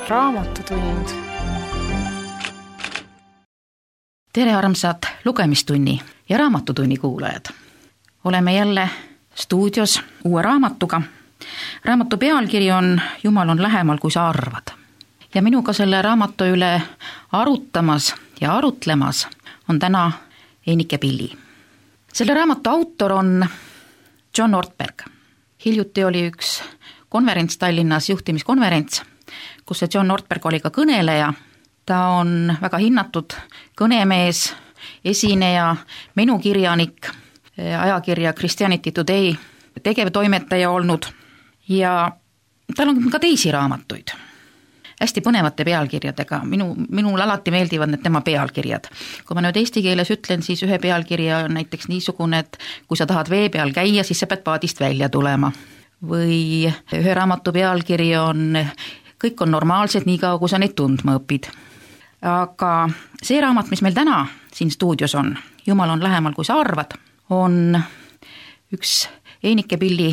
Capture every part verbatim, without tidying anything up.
Raamatutund. Tere armsad lugemistunni ja raamatutunni kuulajad. Oleme jälle stuudios uue raamatuga. Raamatu pealkiri on Jumal on lähemal, kui sa arvad. Ja minuga selle raamatu üle arutamas ja arutlemas on täna Einike Pilli. Selle raamatu autor on John Ortberg. Hiljuti oli üks konverents Tallinnas, juhtimiskonverents, kus see John Ortberg oli ka kõneleja. Ta on väga hinnatud kõnemees, esineja, menukirjanik, ajakirja Christianity Today tegevtoimetaja olnud ja tal on ka teisi raamatuid. Hästi põnevate pealkirjadega. Minu, minul alati meeldivad need tema pealkirjad. Kui ma nüüd eesti keeles ütlen, siis ühe pealkirja on näiteks niisugune, et kui sa tahad vee peal käia, siis sa pead paadist välja tulema. Või ühe raamatu pealkiri on kõik on normaalsed nii kaua, kui sa neid tundma õpid. Aga see raamat, mis meil täna siin stuudios on, Jumal on lähemal, kui sa arvad, on üks Einike Pilli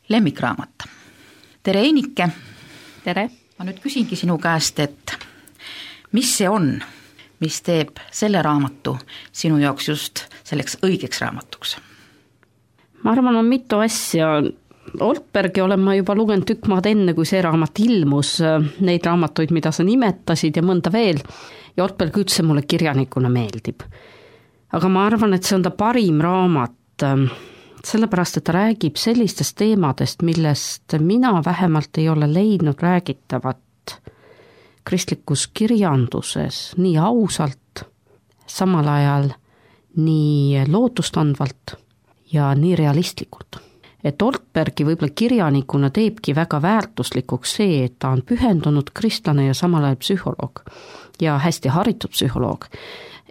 lemmikraamat. Tere Einike! Tere! Ma nüüd küsingi sinu käest, et mis see on, mis teeb selle raamatu sinu jaoks just selleks õigeks raamatuks? Ma arvan, on mitu asja. Ortbergi olen ma juba lugenud tükk maad enne, kui see raamat ilmus, neid raamatuid, mida sa nimetasid ja mõnda veel. Ja Ortberg üldse mulle kirjanikuna meeldib. Aga ma arvan, et see on ta parim raamat, sellepärast, et ta räägib sellistest teemadest, millest mina vähemalt ei ole leidnud räägitavat kristlikus kirjanduses nii ausalt, samal ajal nii lootustandvalt ja nii realistlikult. Et Ortbergi võib-olla kirjanikuna teebki väga väärtuslikuks see, et ta on pühendunud kristlane ja samal ajal psühholoog ja hästi haritud psühholoog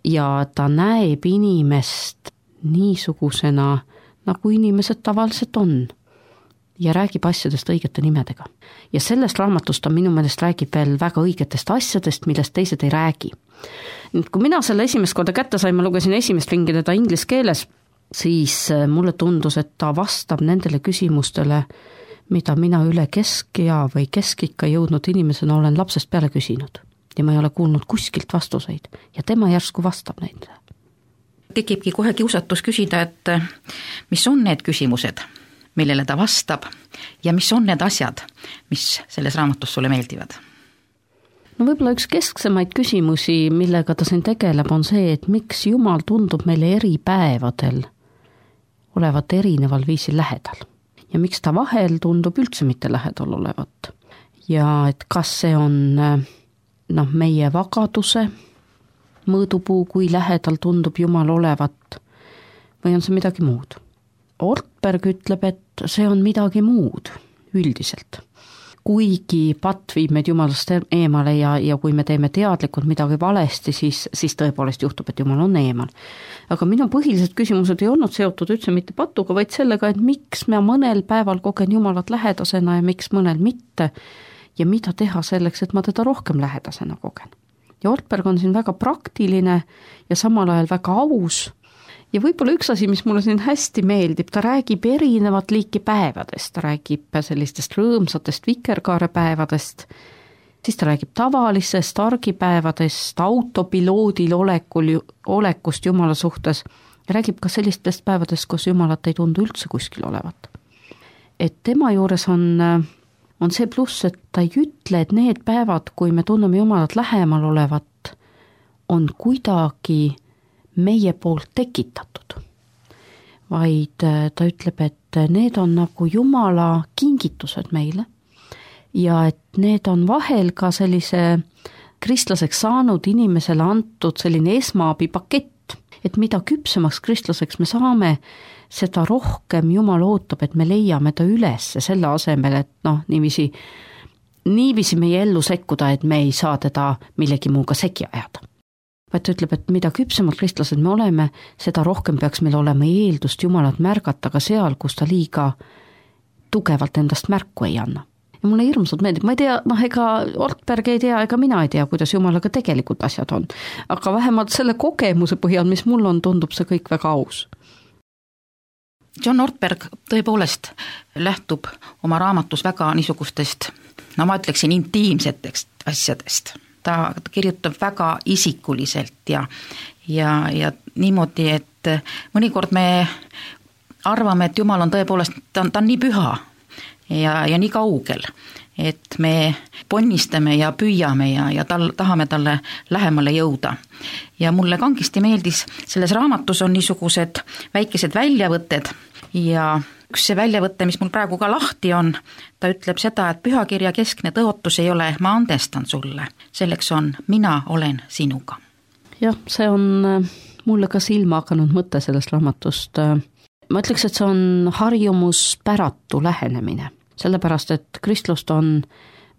ja ta näeb inimest niisugusena, nagu inimesed tavaliselt on ja räägib asjadest õigete nimedega. Ja sellest raamatust ta minu meelest räägib veel väga õigetest asjadest, millest teised ei räägi. Nüüd, kui mina selle esimest korda kätte sain, ma lugesin esimest ringi teda inglis keeles, siis mulle tundus, et ta vastab nendele küsimustele, mida mina üle keskea või keskikka jõudnud inimesena olen lapsest peale küsinud. Ja ma ei ole kuulnud kuskilt vastuseid ja tema järsku vastab neid. Tekibki kohe kiusatus küsida, et mis on need küsimused, millele ta vastab ja mis on need asjad, mis selles raamatus sulle meeldivad? No võib-olla üks kesksemaid küsimusi, millega ta siin tegeleb, on see, et miks Jumal tundub meile eri päevadel olevat erineval viisil lähedal. Ja miks ta vahel tundub üldse mitte lähedal olevat. Ja et kas see on noh, meie vagaduse mõõdupuu, kui lähedal tundub Jumal olevat, või on see midagi muud? Ortberg ütleb, et see on midagi muud üldiselt. Kuigi patt viib meid Jumalast eemale ja, ja kui me teeme teadlikult midagi valesti, siis, siis tõepoolest juhtub, et Jumal on eemal. Aga minu põhilised küsimused ei olnud seotud üldse mitte patuga, vaid sellega, et miks me mõnel päeval kogen Jumalat lähedasena ja miks mõnel mitte ja mida teha selleks, et ma teda rohkem lähedasena kogen. Ja Ortberg on siin väga praktiline ja samal ajal väga aus. Ja võib-olla üks asi, mis mulle siin hästi meeldib, ta räägib erinevat liiki päevadest, ta räägib sellistest rõõmsatest vikerkaarepäevadest, siis ta räägib tavalisest argipäevadest, autopiloodil olekul, olekust Jumala suhtes ja räägib ka sellistest päevadest, kus Jumalat ei tundu üldse kuskil olevat. Et tema juures on, on see pluss, et ta ei ütle, et need päevad, kui me tunneme Jumalat lähemal olevat, on kuidagi meie poolt tekitatud, vaid ta ütleb, et need on nagu Jumala kingitused meile ja et need on vahel ka sellise kristlaseks saanud inimesele antud selline esmaabipakett, et mida küpsemaks kristlaseks me saame, seda rohkem Jumal ootab, et me leiame ta üles selle asemel, et noh, niiviisi, niiviisi meie ellu sekkuda, et me ei saa teda millegi muuga segi ajada. Vaid ta ütleb, et mida küpsemad kristlased me oleme, seda rohkem peaks meil olema eeldust Jumalat märgata ka seal, kus ta liiga tugevalt endast märku ei anna. Ja mulle hirmsalt meeldib, ma ei tea, noh ega Ortberg ei tea, ega mina ei tea, kuidas Jumalaga tegelikult asjad on. Aga vähemalt selle kogemuse põhjal, mis mul on, tundub see kõik väga aus. John Ortberg tõepoolest lähtub oma raamatus väga niisugustest, no ma ütleksin, intiimsetest asjadest. Ta kirjutab väga isikuliselt ja, ja, ja niimoodi, et mõnikord me arvame, et Jumal on tõepoolest, ta on, ta on nii püha ja, ja nii kaugel, et me ponnistame ja püüame ja, ja tal, tahame talle lähemale jõuda. Ja mulle kangesti meeldis, selles raamatus on niisugused väikesed väljavõtted ja üks see väljavõte, mis mul praegu ka lahti on, ta ütleb seda, et pühakirja keskne tõotus ei ole ma andestan sulle, selleks on mina olen sinuga. Jah, see on mulle ka silma hakanud mõte sellest raamatust. Ma ütleks, et see on harjumuspäratu lähenemine, sellepärast et kristlust on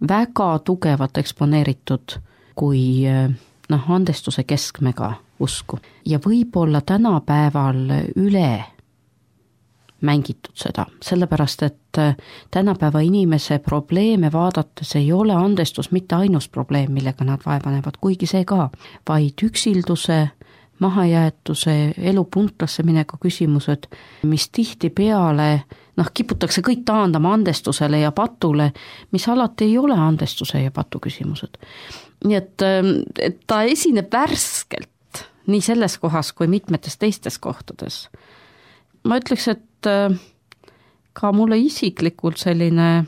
väga tugevalt eksponeeritud kui noh, andestuse keskmega usku ja võib-olla tänapäeval üle mängitud seda, sellepärast et tänapäeva inimese probleeme vaadates ei ole andestus mitte ainus probleem, millega nad vaevanevad, kuigi see ka, vaid üksilduse, mahajäetuse, elu puntrasse mineku küsimused, mis tihti peale noh, kiputakse kõik taandama andestusele ja patule, mis alati ei ole andestuse ja patu küsimused. Nii et, et ta esineb värskelt nii selles kohas kui mitmetes teistes kohtades. Ma ütleks, et ka mulle isiklikult selline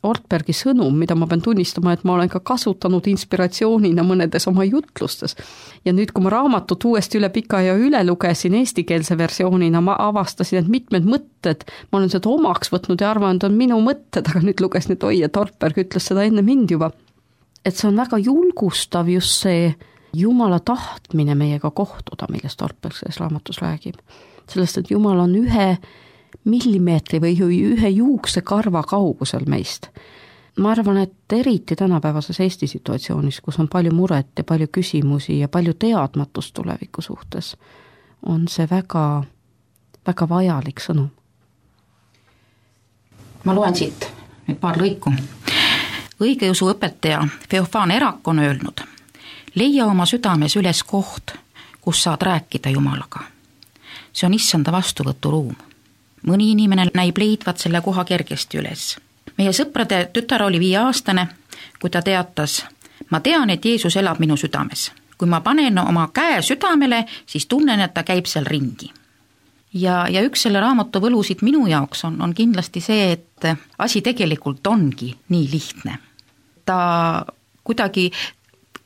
Ortbergi sõnum, mida ma pean tunnistama, et ma olen ka kasutanud inspiratsioonina mõnedes oma jutlustes. Ja nüüd, kui ma raamatut uuesti üle pika ja üle lugesin eestikeelse versioonina, ma avastasin, et mitmed mõtted, ma olen seda omaks võtnud ja arvan, et on minu mõtted, aga nüüd luges nüüd oi, et Ortberg ütles seda enne mind juba. Et see on väga julgustav just see Jumala tahtmine meiega kohtuda, millest Ortberg selles raamatus räägib. Sellest, et Jumal on ühe millimeetri või ühe juukse karva kaugusel meist. Ma arvan, et eriti tänapäevases Eesti situatsioonis, kus on palju muret ja palju küsimusi ja palju teadmatust tuleviku suhtes, on see väga, väga vajalik sõnum. Ma loen siit nüüd paar lõiku. Õigeusu õpetaja Feofaan Erak on öelnud, leia oma südames üles koht, kus saad rääkida Jumalaga. See on issanda vastuvõturuum. Mõni inimene näib leidvat selle koha kergesti üles. Meie sõprade tütar oli viieaastane, kui ta teatas, ma tean, et Jeesus elab minu südames. Kui ma panen oma käe südamele, siis tunnen, et ta käib seal ringi. Ja, ja üks selle raamatu võlusid minu jaoks on, on kindlasti see, et asi tegelikult ongi nii lihtne. Ta kuidagi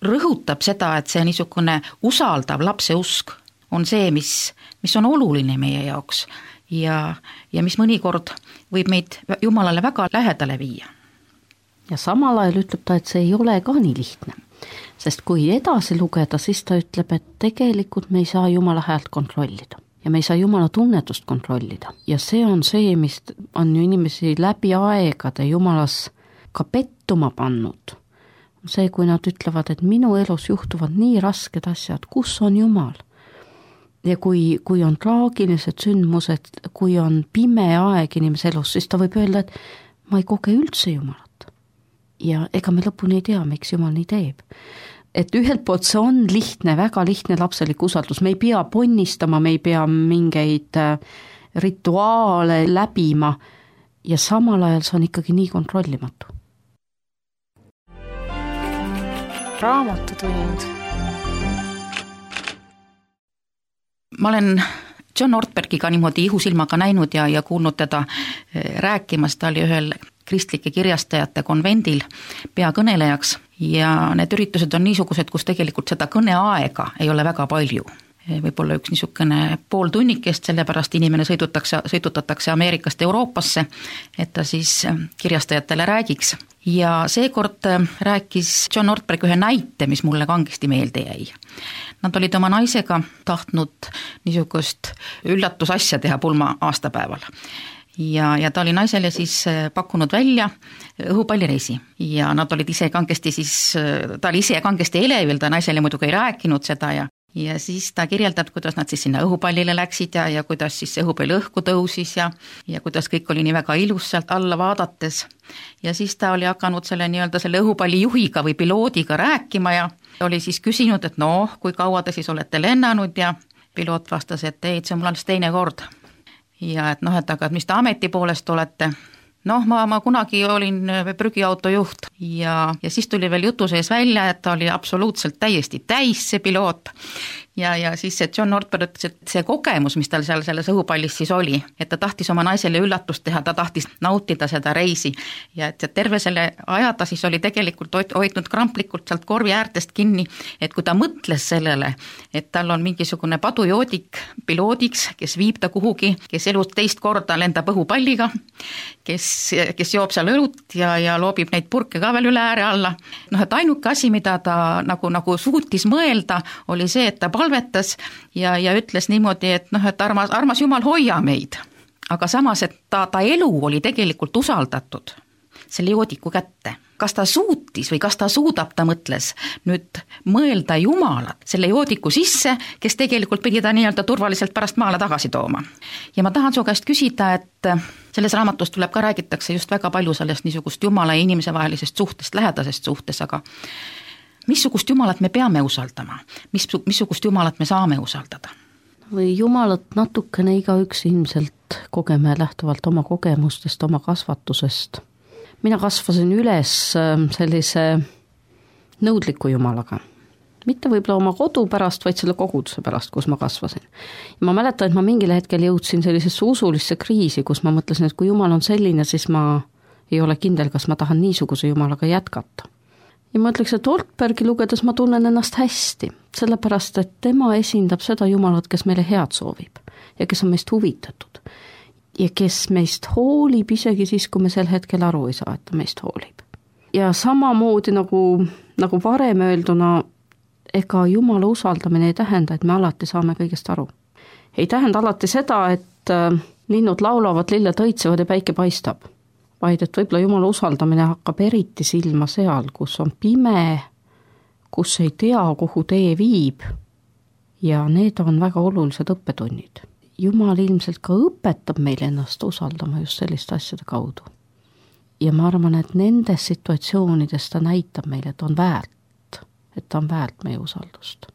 rõhutab seda, et see niisugune usaldav lapse usk on see, mis, mis on oluline meie jaoks ja, ja mis mõnikord võib meid Jumalale väga lähedale viia. Ja samal ajal ütleb ta, et see ei ole ka nii lihtne, sest kui edasi lugeda, siis ta ütleb, et tegelikult me ei saa Jumala häält kontrollida ja me ei saa Jumala tunnetust kontrollida ja see on see, mis on ju inimesi läbi aegade Jumalas ka pettuma pannud. See, kui nad ütlevad, et minu elus juhtuvad nii rasked asjad, kus on Jumal? Ja kui, kui on traagilised sündmused, kui on pime aeg inimese elus, siis ta võib öelda, et ma ei koge üldse Jumalat. Ja ega me lõpuni ei tea, miks Jumal nii teeb. Et ühelt poolt see on lihtne, väga lihtne lapselik usaldus, me ei pea ponnistama, me ei pea mingeid rituaale läbima ja samal ajal see on ikkagi nii kontrollimatu. Raamatutund. Ma olen John Ortbergiga niimoodi ihusilmaga näinud ja, ja kuulnud teda rääkimas, ta oli ühel kristlike kirjastajate konvendil peakõnelejaks ja need üritused on niisugused, kus tegelikult seda kõneaega ei ole väga palju. Võib-olla üks niisugune pool tunnikest, sellepärast inimene sõidutakse, sõidutatakse Ameerikast Euroopasse, et ta siis kirjastajatele räägiks. Ja seekord rääkis John Ortberg ühe näite, mis mulle kangesti meelde jäi. Nad olid oma naisega tahtnud niisugust üllatusasja teha pulma aastapäeval. Ja, ja ta oli naisele siis pakkunud välja õhupallireisi ja nad olid ise kangesti siis, ta oli ise kangesti elevil, ta naisele muidugi ei rääkinud seda ja Ja siis ta kirjeldab, kuidas nad siis sinna õhupallile läksid ja, ja kuidas siis õhupall õhku tõusis ja, ja kuidas kõik oli nii väga ilus sealt alla vaadates. Ja siis ta oli hakanud selle, nii-öelda selle õhupalli juhiga või piloodiga rääkima ja oli siis küsinud, et noh, kui kaua te siis olete lennanud ja piloot vastas, et ei, see on mul alles teine kord. ja et noh, et aga mis te ameti poolest olete. Noh, ma, ma kunagi olin prügiauto juht ja, ja siis tuli veel jutu sees välja, et ta oli absoluutselt täiesti täis see piloot. Ja, ja siis see John Ortberg ütles, et see kogemus, mis tal seal selles õhupallis siis oli, et ta tahtis oma naisele üllatust teha, ta tahtis nautida seda reisi ja et terve selle aja ta siis oli tegelikult hoidnud kramplikult sealt korvi äärtest kinni, et kui ta mõtles sellele, et tal on mingisugune padujoodik piloodiks, kes viib ta kuhugi, kes elus teist korda lendab õhupalliga, kes, kes joob seal õlut ja, ja loobib neid purke ka veel üle ääre alla. Noh, et ainuke asi, mida ta nagu, nagu suutis mõelda, oli see, et ta palvetas ja, ja ütles niimoodi, et noh, et armas, armas Jumal, hoia meid. Aga samas, et ta, ta elu oli tegelikult usaldatud selle joodiku kätte. Kas ta suutis või kas ta suudab, ta mõtles nüüd mõelda Jumalat selle joodiku sisse, kes tegelikult pidi ta nii-öelda turvaliselt pärast maale tagasi tooma. Ja ma tahan su käest küsida, et selles raamatus tuleb ka räägitakse just väga palju sellest niisugust Jumala ja inimese vahelisest suhtest, lähedasest suhtes, aga missugust Jumalat me peame usaldama? Mis, missugust Jumalat me saame usaldada? Või Jumalat natukene igaüks ilmselt kogeme lähtuvalt oma kogemustest, oma kasvatusest. Mina kasvasin üles sellise nõudliku Jumalaga. Mitte võib-olla oma kodu pärast, vaid selle koguduse pärast, kus ma kasvasin. Ja ma mäletan, et ma mingil hetkel jõudsin sellisesse usulisse kriisi, kus ma mõtlesin, et kui Jumal on selline, siis ma ei ole kindel, kas ma tahan niisuguse Jumalaga jätkata. Ja ma ütleks, et Ortbergi lugedes ma tunnen ennast hästi, sellepärast, et tema esindab seda Jumalat, kes meile head soovib ja kes on meist huvitatud ja kes meist hoolib isegi siis, kui me sel hetkel aru ei saa, et ta meist hoolib. Ja samamoodi nagu, nagu varem öelduna, ega Jumala usaldamine ei tähenda, et me alati saame kõigest aru. Ei tähenda alati seda, et linnud laulavad, lilled õitsevad ja päike paistab. Vaid et võib-olla Jumala usaldamine hakkab eriti silma seal, kus on pime, kus ei tea, kuhu tee viib ja need on väga olulised õppetunnid. Jumal ilmselt ka õpetab meil ennast usaldama just selliste asjade kaudu. Ja ma arvan, et nendes situatsioonides ta näitab meile, et on väärt, et ta on väärt meie usaldust.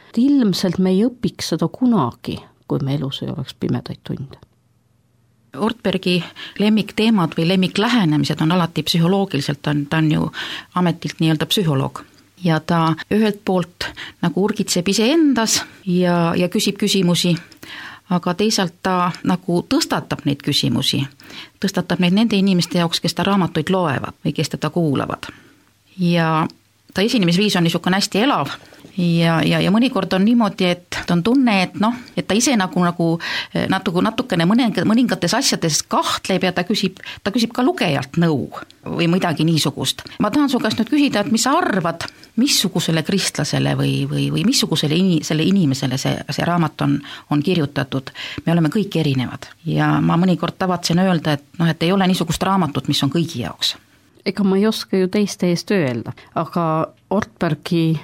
Et ilmselt me ei õpiks seda kunagi, kui me elus ei oleks pimedaid tunde. Ortbergi lemmikteemad või lemmiklähenemised on alati psühholoogiliselt, ta on, ta on ju ametilt nii-öelda psühholoog. Ja ta ühelt poolt nagu urgitseb ise endas ja, ja küsib küsimusi, aga teisalt ta nagu tõstatab neid küsimusi, tõstatab neid nende inimeste jaoks, kes ta raamatuid loevad või kes teda kuulavad. Ja ta esinemisviis on niisugune hästi elav ja, ja, ja mõnikord on niimoodi, et on tunne, et noh, et ta ise nagu, nagu natuke, natukene mõningates asjades kahtleb ja ta küsib, ta küsib ka lugejalt nõu või midagi niisugust. Ma tahan su käest nüüd küsida, et mis sa arvad, missugusele kristlasele või, või, või missugusele ini, selle inimesele see, see raamat on, on kirjutatud. Me oleme kõik erinevad ja ma mõnikord tavatsen öelda, et, noh, et ei ole niisugust raamatut, mis on kõigi jaoks. Ega ma ei oska ju teiste eest öelda, aga Ortbergi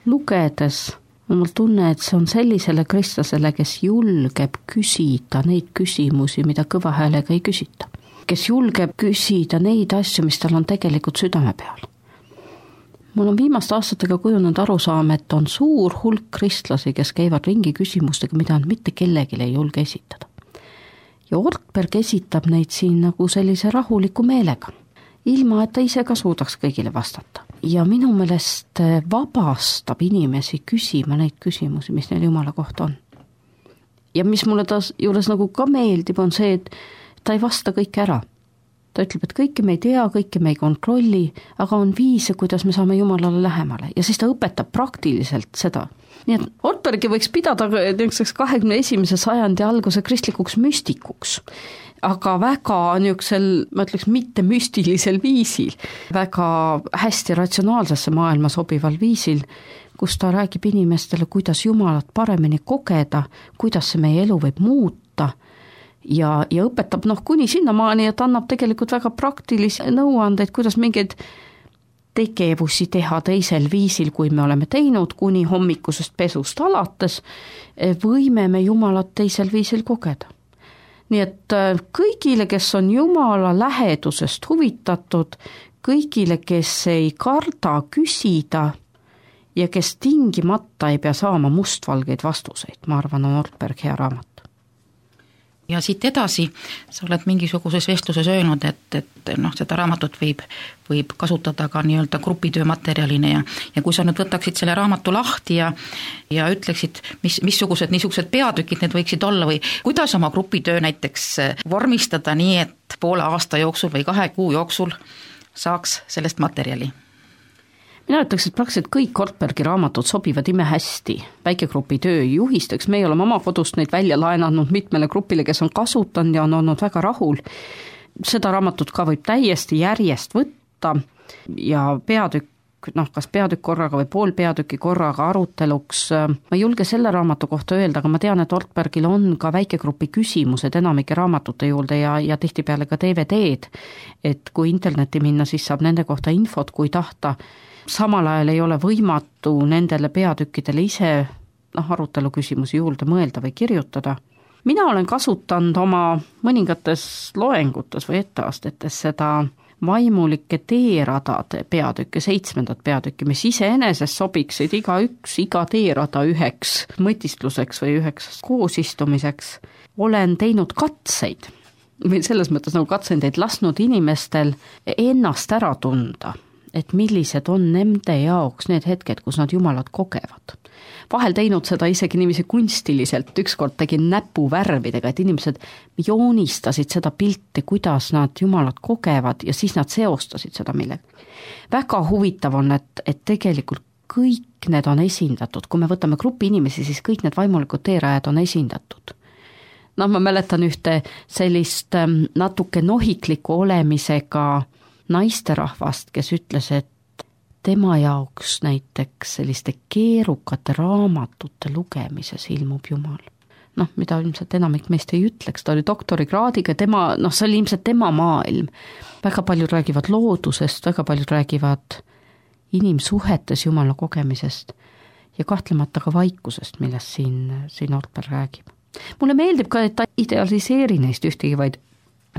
lugedes on mul tunne, et see on sellisele kristlasele, kes julgeb küsida neid küsimusi, mida kõva häälega ei küsita. Kes julgeb küsida neid asju, mis tal on tegelikult südame peal. Mul on viimaste aastatega kujunenud arusaam, et on suur hulk kristlasi, kes käivad ringi küsimustega, mida on mitte kellelgi ei julge esitada. Ja Ortberg esitab neid siin nagu sellise rahuliku meelega, ilma et ta ise ka suudaks kõigile vastata. Ja minu meelest vabastab inimesi küsima neid küsimusi, mis neil Jumala kohta on. Ja mis mulle ta juures nagu ka meeldib, on see, et ta ei vasta kõike ära. Ta ütleb, et kõike me ei tea, kõike me ei kontrolli, aga on viise, kuidas me saame Jumalale lähemale. Ja siis ta õpetab praktiliselt seda. Nii et Ortbergi võiks pidada kahekümne esimese sajandi alguse kristlikuks müstikuks, aga väga niisugusel, ma ütleks, mitte müstilisel viisil, väga hästi ratsionaalsesse maailma sobival viisil, kus ta räägib inimestele, kuidas Jumalat paremini kogeda, kuidas see meie elu võib muuta ja, ja õpetab noh, kuni sinnamaani, et annab tegelikult väga praktilisi nõuandeid, kuidas mingeid tegevusi teha teisel viisil, kui me oleme teinud, kuni hommikusest pesust alates, võime me Jumalat teisel viisil kogeda. Nii et kõigile, kes on Jumala lähedusest huvitatud, kõigile, kes ei karda küsida ja kes tingimata ei pea saama mustvalgeid vastuseid, ma arvan, on Ortberg hea raamat. ja siit edasi sa oled mingisuguses vestluses öelnud, et, et noh, seda raamatut võib, võib kasutada ka nii-öelda grupitöö materjalina ja, ja kui sa nüüd võtaksid selle raamatu lahti ja, ja ütleksid, mis, missugused niisugused peatükid need võiksid olla või kuidas oma grupitöö näiteks vormistada nii, et poole aasta jooksul või kahe kuu jooksul saaks sellest materjali? Mina ütleks, et praktiliselt kõik Ortbergi raamatud sobivad imehästi väikegrupi tööjuhisteks, meie oleme oma kodust neid välja laenanud mitmele grupile, kes on kasutanud ja on olnud väga rahul. Seda raamatut ka võib täiesti järjest võtta ja peatükk, noh, kas peatükk korraga või pool peatüki korraga aruteluks. Ma ei julge selle raamatu kohta öelda, aga ma tean, et Ortbergil on ka väikegrupi küsimused enamike raamatute juurde ja, ja tihtipeale ka D V D-d, et kui interneti minna, siis saab nende kohta infot, kui tahta. Samal ajal ei ole võimatu nendele peatükkidele ise noh, arutelu küsimusi juurde mõelda või kirjutada. Mina olen kasutanud oma mõningates loengutes või etteastetes seda vaimulike teeradade peatükke, seitsmendat peatükki, mis iseenesest sobiksid iga üks, iga teerada üheks mõtistluseks või üheks koosistumiseks. Olen teinud katseid, või selles mõttes nagu katsendeid lasknud inimestel ennast ära tunda, et millised on nende jaoks need hetked, kus nad Jumalat kogevad. Vahel teinud seda isegi niiviisi kunstiliselt, ükskord tegin näpuvärvidega, et inimesed joonistasid seda pilti, kuidas nad Jumalat kogevad ja siis nad seostasid seda millega. Väga huvitav on, et, et tegelikult kõik need on esindatud, kui me võtame grupi inimesi, siis kõik need vaimulikud teerajad on esindatud. No ma mäletan ühte sellist natuke nohikliku olemisega naisterahvast, kes ütles, et tema jaoks näiteks selliste keerukate raamatute lugemises ilmub Jumal. Noh, mida ilmselt enamik meist ei ütleks, ta oli doktorikraadiga, tema, noh, see oli ilmselt tema maailm. Väga paljud räägivad loodusest, väga paljud räägivad inimsuhetes Jumala kogemisest ja kahtlemata ka vaikusest, millest siin, siin Ortberg räägib. Mulle meeldib ka, et ta idealiseeri neist ühtegi, vaid,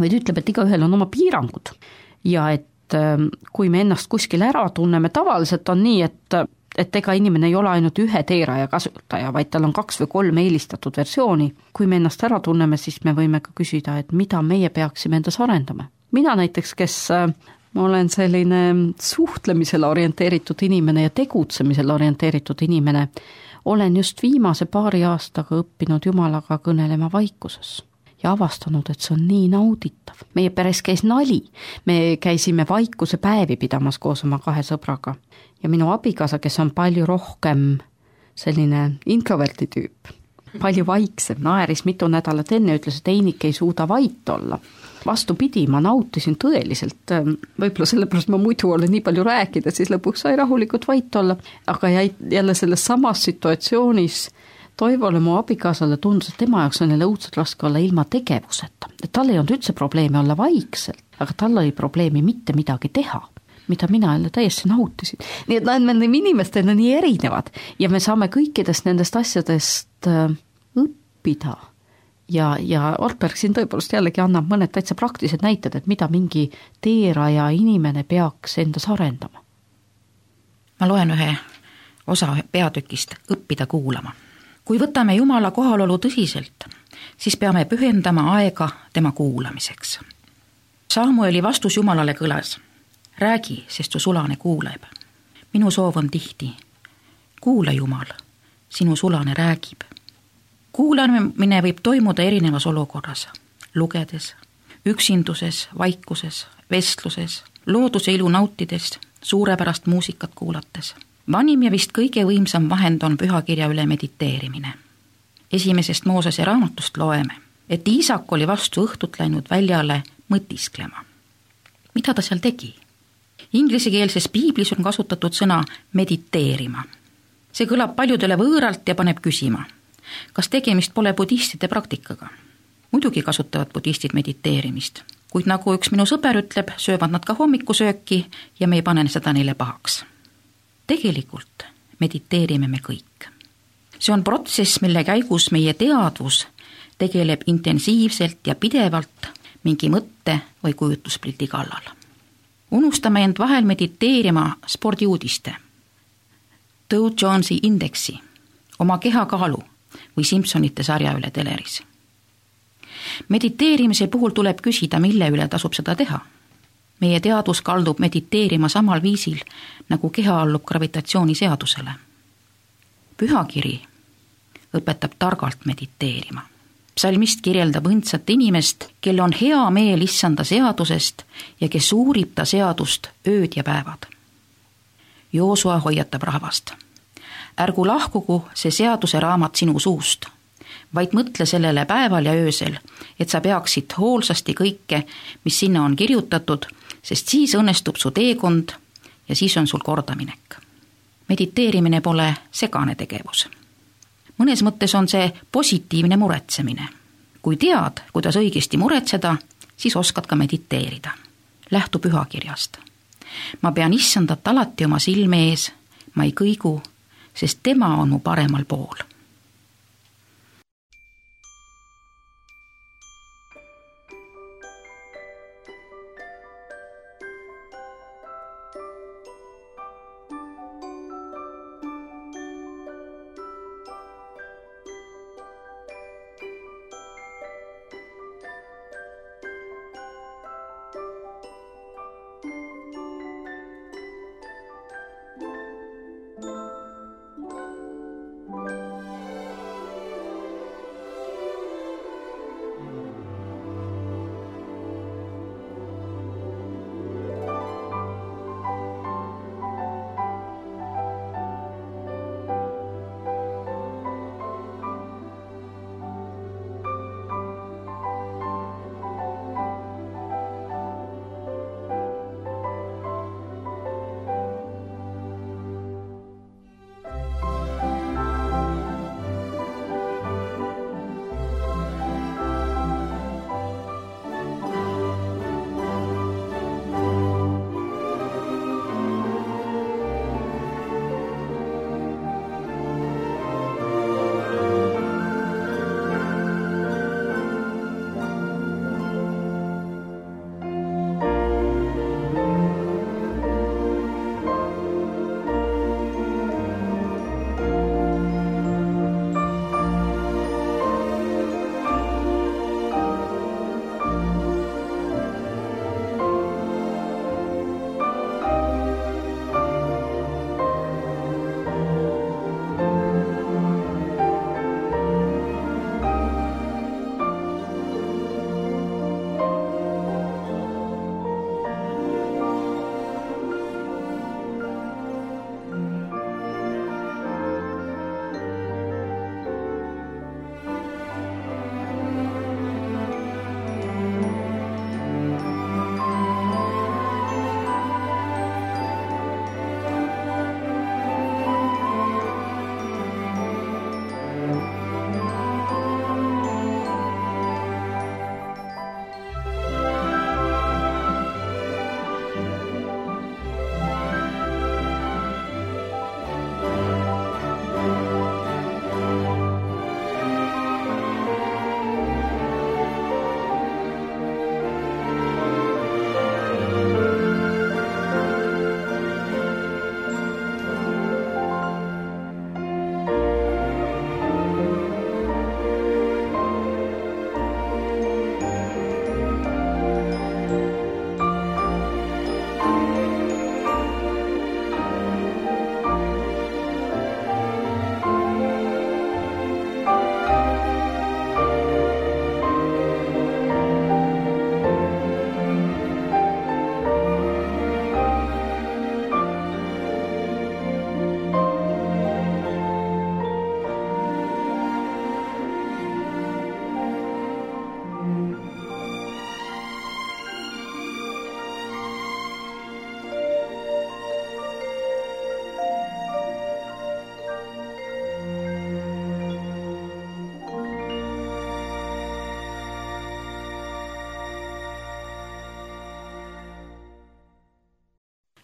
vaid ütleb, et igaühel on oma piirangud. Ja et kui me ennast kuskil ära tunneme, tavaliselt on nii, et, et ega inimene ei ole ainult ühe teeraja kasutaja, vaid tal on kaks või kolm eelistatud versiooni. Kui me ennast ära tunneme, siis me võime ka küsida, et mida meie peaksime endas arendama. Mina näiteks, kes ma olen selline suhtlemisele orienteeritud inimene ja tegutsemisele orienteeritud inimene, olen just viimase paari aastaga õppinud Jumalaga kõnelema vaikuses. Ja avastanud, et see on nii nauditav. Meie peres käis nali. Me käisime vaikuse päevi pidamas koos oma kahe sõbraga. Ja minu abikaasa, kes on palju rohkem selline introverti tüüp, palju vaiksem, naeris mitu nädalat enne, ütles, et Einik ei suuda vait olla. Vastupidi, ma nautisin tõeliselt, võib-olla sellepärast ma muidu olen nii palju rääkida, siis lõpuks sai rahulikult vait olla, aga jälle selles samas situatsioonis Toivole mu abikaasale tundus, et tema jaoks on jälle õudselt raske olla ilma tegevuseta. Et tal ei olnud üldse probleemi olla vaikselt, aga tal oli probleemi mitte midagi teha, mida mina jälle täiesti nautisin. Nii et nad on inimestena nii erinevad ja me saame kõikidest nendest asjadest õppida. Ja, ja Ortberg siin tõepoolest jällegi annab mõned täitsa praktilised näited, et mida mingi teeraja inimene peaks endas arendama. Ma loen ühe osa peatükist õppida kuulama. Kui võtame Jumala kohalolu tõsiselt, siis peame pühendama aega tema kuulamiseks. Samueli vastus Jumalale kõlas. Räägi, sest su sulane kuuleb. Minu soov on tihti. Kuula Jumal, sinu sulane räägib. Kuulamine võib toimuda erinevas olukorras. Lugedes, üksinduses, vaikuses, vestluses, looduse ilu nautides, suurepärast muusikat kuulates. Vanim ja vist kõige võimsam vahend on pühakirja üle mediteerimine. Esimesest Moosese raamatust loeme, et Iisak oli vastu õhtut läinud väljale mõtisklema. Mida ta seal tegi? Inglisekeelses piiblis on kasutatud sõna mediteerima. See kõlab paljudele võõralt ja paneb küsima, kas tegemist pole budistide praktikaga. Muidugi kasutavad budistid mediteerimist, kuid nagu üks minu sõber ütleb, söövad nad ka hommikusööki ja me ei pane seda neile pahaks. Tegelikult mediteerime me kõik. See on protsess, mille käigus meie teadvus tegeleb intensiivselt ja pidevalt mingi mõtte või kujutluspildi kallal. Unustame end vahel mediteerima spordiuudiste, Dow Jonesi indeksi, oma kehakaalu või Simpsonite sarja üle teleris. mediteerimise puhul tuleb küsida, mille üle tasub seda teha. Meie teadus kaldub mediteerima samal viisil, nagu keha allub gravitatsiooniseadusele. Pühakiri õpetab targalt mediteerima. Psalmist kirjeldab õndsat inimest, kel on hea meel issanda seadusest ja kes uurib ta seadust ööd ja päevad. Joosua hoiatab rahvast. Ärgu lahkugu see seaduse raamat sinu suust, vaid mõtle sellele päeval ja öösel, et sa peaksid hoolsasti kõike, mis sinna on kirjutatud, sest siis õnnestub su teekond ja siis on sul kordaminek. Mediteerimine pole segane tegevus. Mõnes mõttes on see positiivne muretsemine. Kui tead, kuidas õigesti muretseda, siis oskad ka mediteerida. Lähtu pühakirjast. Ma pean issandat alati oma silme ees, ma ei kõigu, sest tema on mu paremal pool.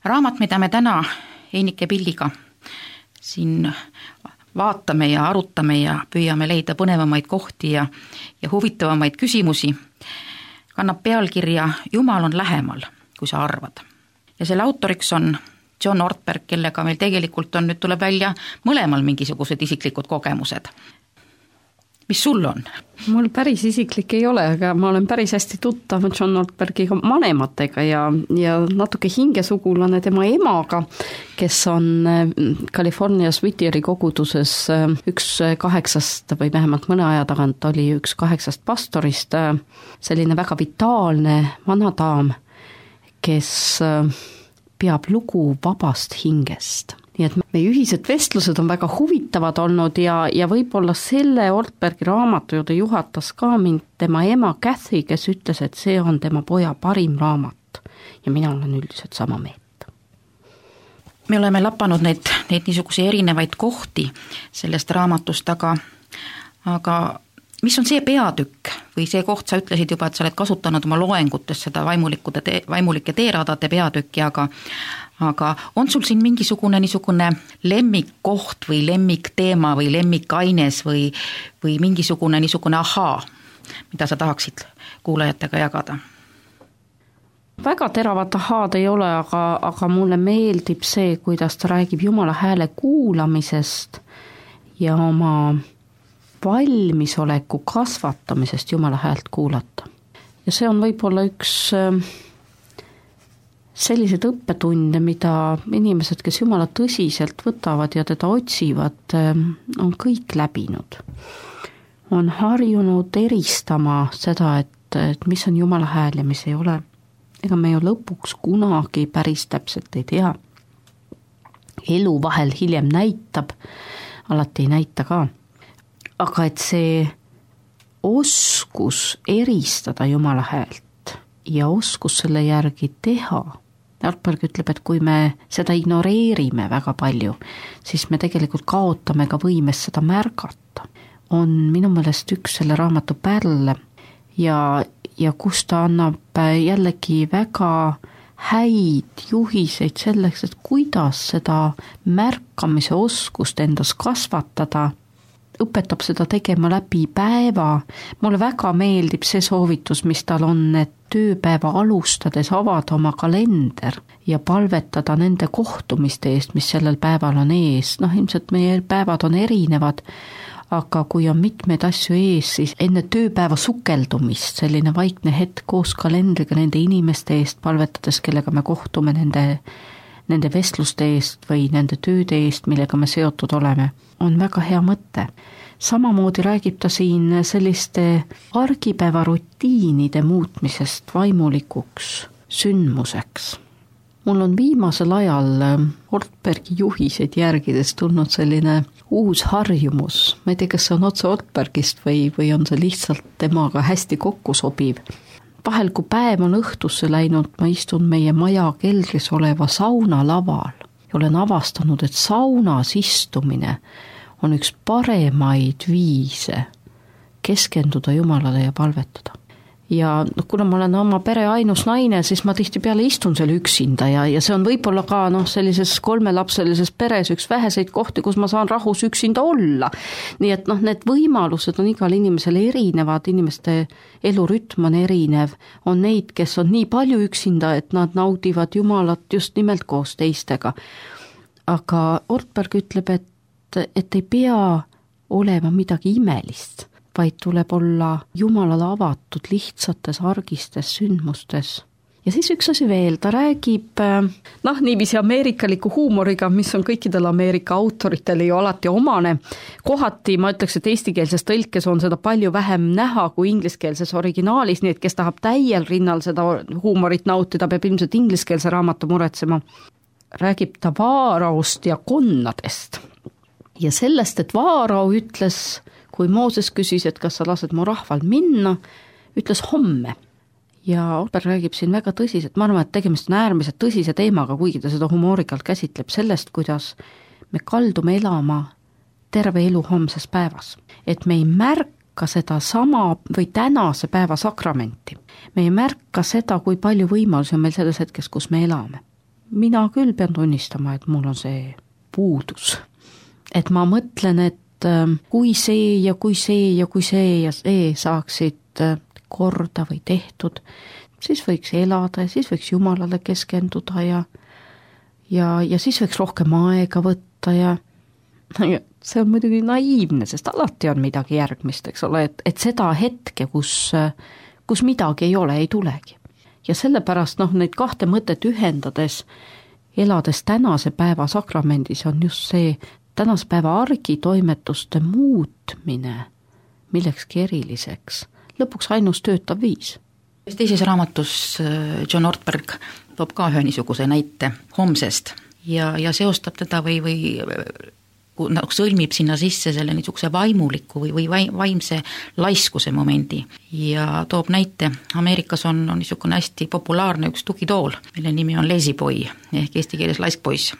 Raamat, mida me täna Einike Pilliga siin vaatame ja arutame ja püüame leida põnevamaid kohti ja, ja huvitavamaid küsimusi, kannab pealkirja Jumal on lähemal, kui sa arvad. Ja selle autoriks on John Ortberg, kellega meil tegelikult on, nüüd tuleb välja mõlemal mingisugused isiklikud kogemused. mis sul on? Mul päris isiklik ei ole, aga ma olen päris hästi tuttav John Ortbergiga vanematega ja, ja natuke hingesugulane tema emaga, kes on Californias Whittieri koguduses üks kaheksast või vähemalt mõne aja tagant oli üks kaheksast pastorist, selline väga vitaalne vana daam, kes peab lugu vabast hingest. Nii et meie ühised vestlused on väga huvitavad olnud ja, ja võib-olla selle Ortbergi raamatu juurde juhatas ka mind tema ema Kathy, kes ütles, et see on tema poja parim raamat ja mina olen üldiselt sama meelt. Me oleme lapanud neid, neid niisuguse erinevaid kohti sellest raamatust, aga, aga mis on see peatükk või see koht, sa ütlesid juba, et sa oled kasutanud oma loengutes seda vaimulike, vaimulike teeradade peatükki, aga aga on sul siin mingisugune niisugune lemmikkoht või lemmikteema või lemmikaines või, või mingisugune niisugune ahaa, mida sa tahaksid kuulajatega jagada? Väga teravat ahaad ei ole, aga, aga mulle meeldib see, kuidas ta räägib Jumala hääle kuulamisest ja oma valmisoleku kasvatamisest Jumala häält kuulata. Ja see on võib-olla üks sellised õppetunde, mida inimesed, kes Jumala tõsiselt võtavad ja teda otsivad, on kõik läbinud. On harjunud eristama seda, et, et mis on Jumala hääl ja mis ei ole. Ega me ju lõpuks kunagi päris täpselt ei tea. Elu vahel hiljem näitab, alati ei näita ka. Aga et see oskus eristada Jumala häält ja oskus selle järgi teha, Ortberg ütleb, et kui me seda ignoreerime väga palju, siis me tegelikult kaotame ka võimes seda märgata. On minu meelest üks selle raamatu pärle ja, ja kus ta annab jällegi väga häid juhiseid selleks, et kuidas seda märkamise oskust endas kasvatada, õpetab seda tegema läbi päeva. Mulle väga meeldib see soovitus, mis tal on, et tööpäeva alustades avada oma kalender ja palvetada nende kohtumiste eest, mis sellel päeval on ees. Noh, ilmselt meie päevad on erinevad, aga kui on mitmeid asju ees, siis enne tööpäeva sukeldumist selline vaikne hetk koos kalendriga nende inimeste eest palvetades, kellega me kohtume nende, nende vestluste eest või nende tööde eest, millega me seotud oleme, on väga hea mõte. Samamoodi räägib ta siin selliste argipäeva rutiinide muutmisest vaimulikuks sündmuseks. Mul on viimasel ajal Ortbergi juhiseid järgides tulnud selline uus harjumus. Ma ei tea, kas see on otse Ortbergist või, või on see lihtsalt temaga hästi kokku sobiv. Vahel, kui päev on õhtusse läinud, ma istun meie maja keldris oleva sauna laval ja olen avastanud, et saunas istumine on üks paremaid viise keskenduda Jumalale ja palvetada. Ja kuna ma olen oma pere ainus naine, siis ma tihtipeale istun seal üksinda ja, ja see on võib-olla ka noh, sellises kolmelapselises peres üks väheseid kohti, kus ma saan rahus üksinda olla. Nii et noh, need võimalused on igal inimesel erinevad, inimeste elurütm on erinev, on neid, kes on nii palju üksinda, et nad naudivad Jumalat just nimelt koos teistega. Aga Ortberg ütleb, et et ei pea olema midagi imelist, vaid tuleb olla Jumalale avatud lihtsates argistes sündmustes. Ja siis üks asi veel, ta räägib noh, niiviisi ameerikaliku huumoriga, mis on kõikidel Ameerika autoritele ju alati omane. Kohati ma ütleks, et eestikeelses tõlkes on seda palju vähem näha kui ingliskeelses originaalis, nii et kes tahab täiel rinnal seda huumorit nautida, peab ilmselt ingliskeelse raamatu muretsema. Räägib ta Vaaraost ja konnadest. Ja sellest, et Vaarao ütles, kui Mooses küsis, et kas sa lased mu rahval minna, ütles homme. Ja Ortberg räägib siin väga tõsiselt, ma arvan, et tegemist on äärmiselt tõsise teemaga, kuigi ta seda humoorikalt käsitleb sellest, kuidas me kaldume elama terve elu homses päevas. Et me ei märka seda sama või tänase päeva sakramenti. Me ei märka seda, kui palju võimalusi on meil selles hetkes, kus me elame. Mina küll pean tunnistama, et mul on see puudus. Et ma mõtlen, et kui see ja kui see ja kui see ja see saaksid korda või tehtud, siis võiks elada ja siis võiks Jumalale keskenduda ja, ja, ja siis võiks rohkem aega võtta ja see on muidugi naiivne, sest alati on midagi järgmist, eks ole, et, et seda hetke, kus, kus midagi ei ole, ei tulegi. Ja sellepärast noh, neid kahte mõtet ühendades, elades tänase päeva sakramendis on just see tänase päeva argitoimetuste muutmine millekski eriliseks, lõpuks ainus töötav viis. Teises raamatus John Ortberg toob ka ühe niisuguse näite homsest ja, ja seostab teda või, või sõlmib sinna sisse selle niisuguse vaimuliku või, või vaimse laiskuse momendi ja toob näite. Ameerikas on, on niisugune hästi populaarne üks tugitool, mille nimi on lazy boy ehk eesti keeles laiskpoiss.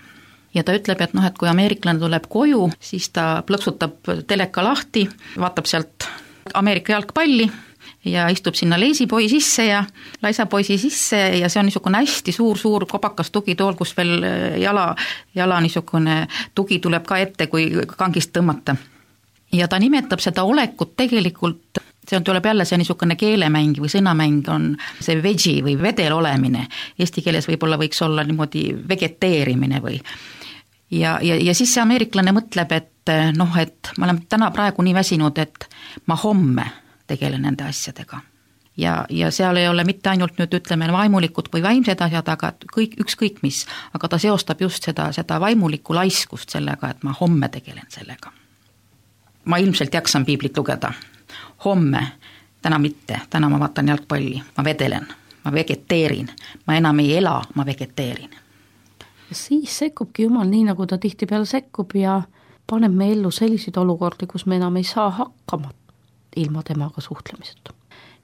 Ja ta ütleb, et noh, et kui ameeriklane tuleb koju, siis ta plõksutab teleka lahti, vaatab sealt Ameerika jalgpalli ja istub sinna lazy boy sisse ja laisa poisi sisse ja see on niisugune hästi suur-suur kobakas tugitool, kus veel jala, jala niisugune tugi tuleb ka ette, kui kangist tõmmata. Ja ta nimetab seda olekut tegelikult, see on, tuleb jälle see niisugune keelemäng või sõnamäng on see vegi või vedel olemine. Eesti keeles võib-olla võiks olla niimoodi vegeteerimine või ja, ja, ja siis see ameeriklane mõtleb, et noh, et ma olen täna praegu nii väsinud, et ma homme tegelen nende asjadega. Ja, ja seal ei ole mitte ainult nüüd ütleme vaimulikud või vaimsed asjad, aga kõik, ükskõik mis, aga ta seostab just seda, seda vaimulikku laiskust sellega, et ma homme tegelen sellega. Ma ilmselt jaksan piiblit lugeda. Homme, täna mitte, täna ma vaatan jalgpalli, ma vedelen, ma vegeteerin, ma enam ei ela, ma vegeteerin. Ja siis sekkubki Jumal nii, nagu ta tihtipeale sekkub ja paneb me ellu selliseid olukordi, kus me enam ei saa hakkama ilma temaga suhtlemiseta.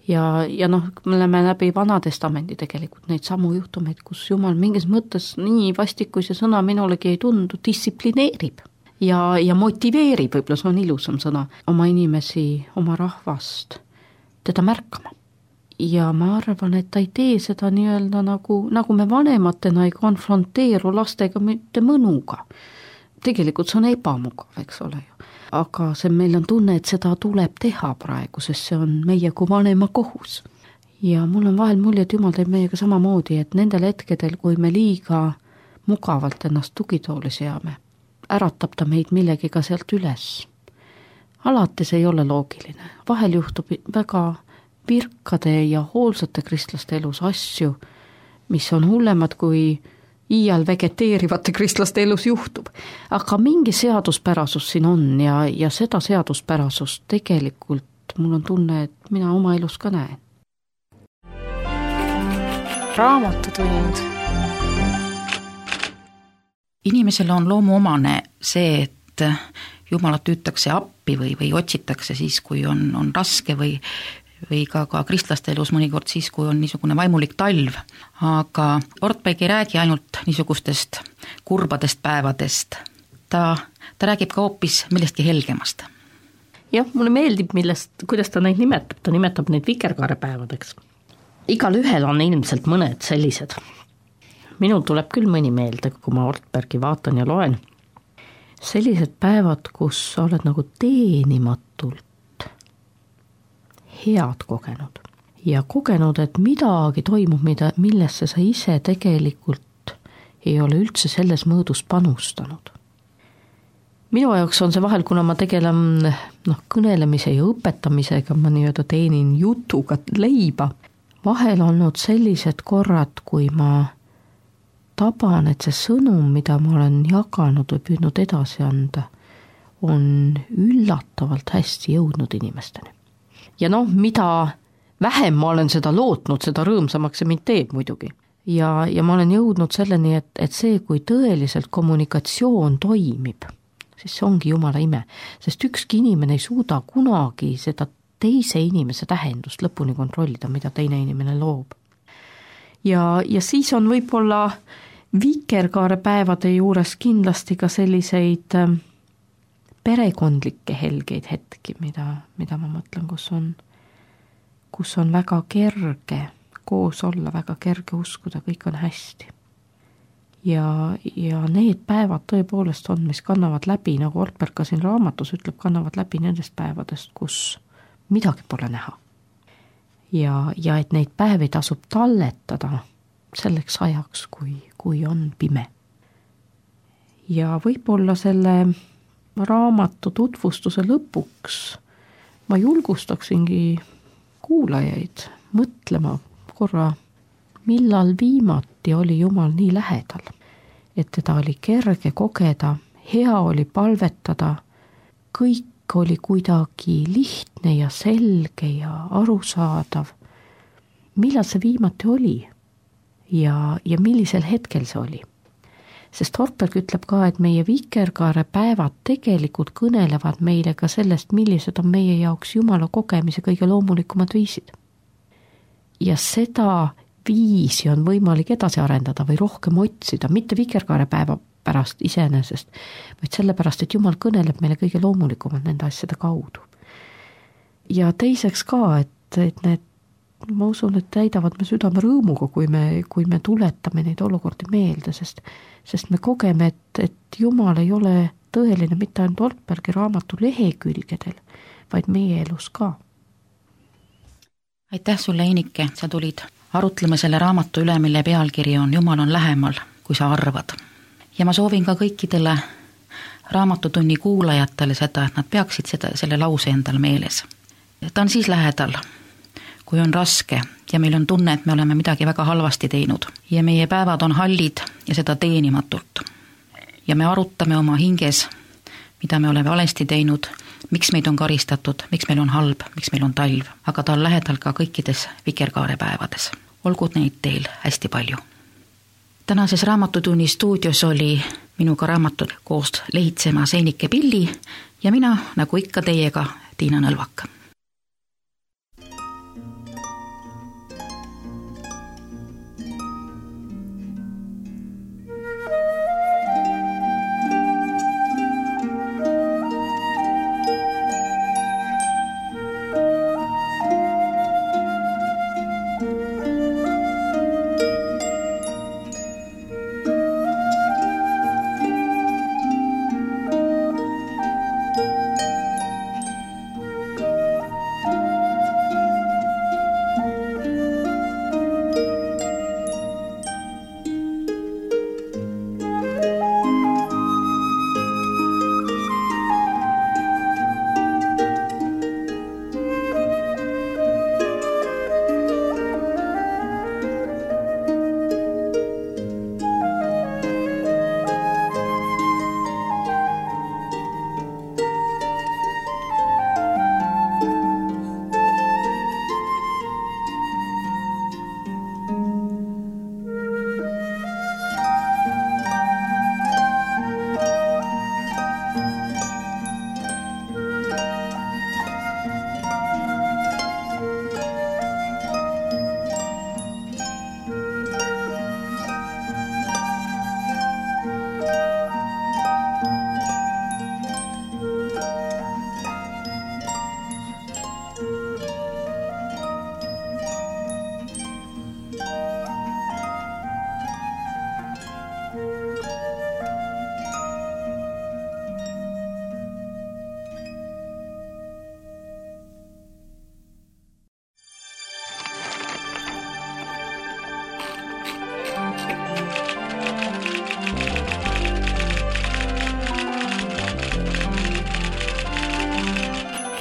Ja, ja noh, me oleme läbi Vana Testamendi tegelikult neid samu juhtumeid, kus Jumal mingis mõttes nii vastikus ja sõna minulegi ei tundu, distsiplineerib ja, ja motiveerib, võib-olla see on ilusam sõna, oma inimesi, oma rahvast, teda märkama. Ja ma arvan, et ta ei tee seda nii-öelda nagu, nagu me vanematena ei konfronteeru lastega mitte mõnuga. Tegelikult see on ebamugav, eks ole ju. Aga see meil on tunne, et seda tuleb teha praegu, sest see on meie kui vanema kohus. Ja mul on vahel mulje, et Jumal teeb meiega samamoodi, et nendel hetkedel, kui me liiga mugavalt ennast tugitooli seame, äratab ta meid millegiga sealt üles. Alati see ei ole loogiline. Vahel juhtub väga virkade ja hoolsate kristlaste elus asju, mis on hullemad kui iial vegeteerivate kristlaste elus juhtub. Aga mingi seaduspärasus siin on ja, ja seda seaduspärasust tegelikult mul on tunne, et mina oma elus ka näen. Raamatutund. Inimesele on loomuomane see, et Jumalat hüütakse appi või, või otsitakse siis, kui on, on raske või või ka, ka kristlaste elus mõnikord siis, kui on niisugune vaimulik talv. Aga Ortberg ei räägi ainult niisugustest kurbadest päevadest. Ta, ta räägib ka hoopis millestki helgemast. Jah, mulle meeldib, millest, kuidas ta neid nimetab. Ta nimetab neid vikerkaarepäevadeks. Igal ühel on ilmselt mõned sellised. Minul tuleb küll mõni meelde, kui ma Ortbergi vaatan ja loen. Sellised päevad, kus sa oled nagu teenimatult head kogenud ja kogenud, et midagi toimub, mida, millesse sa ise tegelikult ei ole üldse selles mõõdus panustanud. Minu jaoks on see vahel, kuna ma tegelen noh, kõnelemise ja õpetamisega, ma nii-öelda teenin jutuga leiba, vahel olnud sellised korrad, kui ma taban, et see sõnum, mida ma olen jaganud või püüdnud edasi anda, on üllatavalt hästi jõudnud inimesteni. Ja noh, mida vähem ma olen seda lootnud, seda rõõmsamaks see mind teeb muidugi. Ja, ja ma olen jõudnud selleni, et, et see, kui tõeliselt kommunikatsioon toimib, siis see ongi Jumala ime. Sest ükski inimene ei suuda kunagi seda teise inimese tähendust lõpuni kontrollida, mida teine inimene loob. Ja, ja siis on võib-olla vikerkaarepäevade juures kindlasti ka selliseid perekondlikke helgeid hetki, mida, mida ma mõtlen, kus on, kus on väga kerge koos olla, väga kerge uskuda, kõik on hästi. Ja, ja need päevad tõepoolest on, mis kannavad läbi, nagu Ortberg ka siin raamatus ütleb, kannavad läbi nendest päevadest, kus midagi pole näha. Ja, ja et neid päevi tasub talletada selleks ajaks, kui, kui on pime. Ja võib-olla selle raamatu tutvustuse lõpuks ma julgustaksingi kuulajaid mõtlema korra, millal viimati oli Jumal nii lähedal, et teda oli kerge kogeda, hea oli palvetada, kõik oli kuidagi lihtne ja selge ja arusaadav. Millal see viimati oli ja, ja millisel hetkel see oli? Sest Hortberg ütleb ka, et meie vikerkaare päevad tegelikult kõnelevad meile ka sellest, millised on meie jaoks Jumala kogemise kõige loomulikumad viisid. Ja seda viisi on võimalik edasi arendada või rohkem otsida, mitte vikerkaare päeva pärast iseenesest, vaid sellepärast, et Jumal kõneleb meile kõige loomulikumad nende asjade kaudu. Ja teiseks ka, et, et need, ma usun, et täidavad me südame rõõmuga, kui me, kui me tuletame neid olukordi meelde, sest, sest me kogeme, et, et Jumal ei ole tõeline mitte ainult Hortbergi raamatu lehekülgedel, vaid meie elus ka. Aitäh sulle, Einike, sa tulid arutlema selle raamatu üle, mille pealkiri on Jumal on lähemal, kui sa arvad. Ja ma soovin ka kõikidele raamatutunni kuulajatele seda, et nad peaksid seda, selle lause endal meeles. Ta on siis lähedal, kui on raske ja meil on tunne, et me oleme midagi väga halvasti teinud ja meie päevad on hallid ja seda teenimatult. Ja me arutame oma hinges, mida me oleme valesti teinud, miks meid on karistatud, miks meil on halb, miks meil on talv, aga ta on lähedal ka kõikides vikerkaare päevades. Olgu neid teil hästi palju. Tänases raamatutunni stuudios oli minuga raamatud koos lehitsemas Einike Pilli ja mina, nagu ikka teiega, Tiina Nõlvak.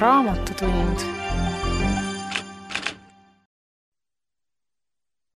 Raamatutund.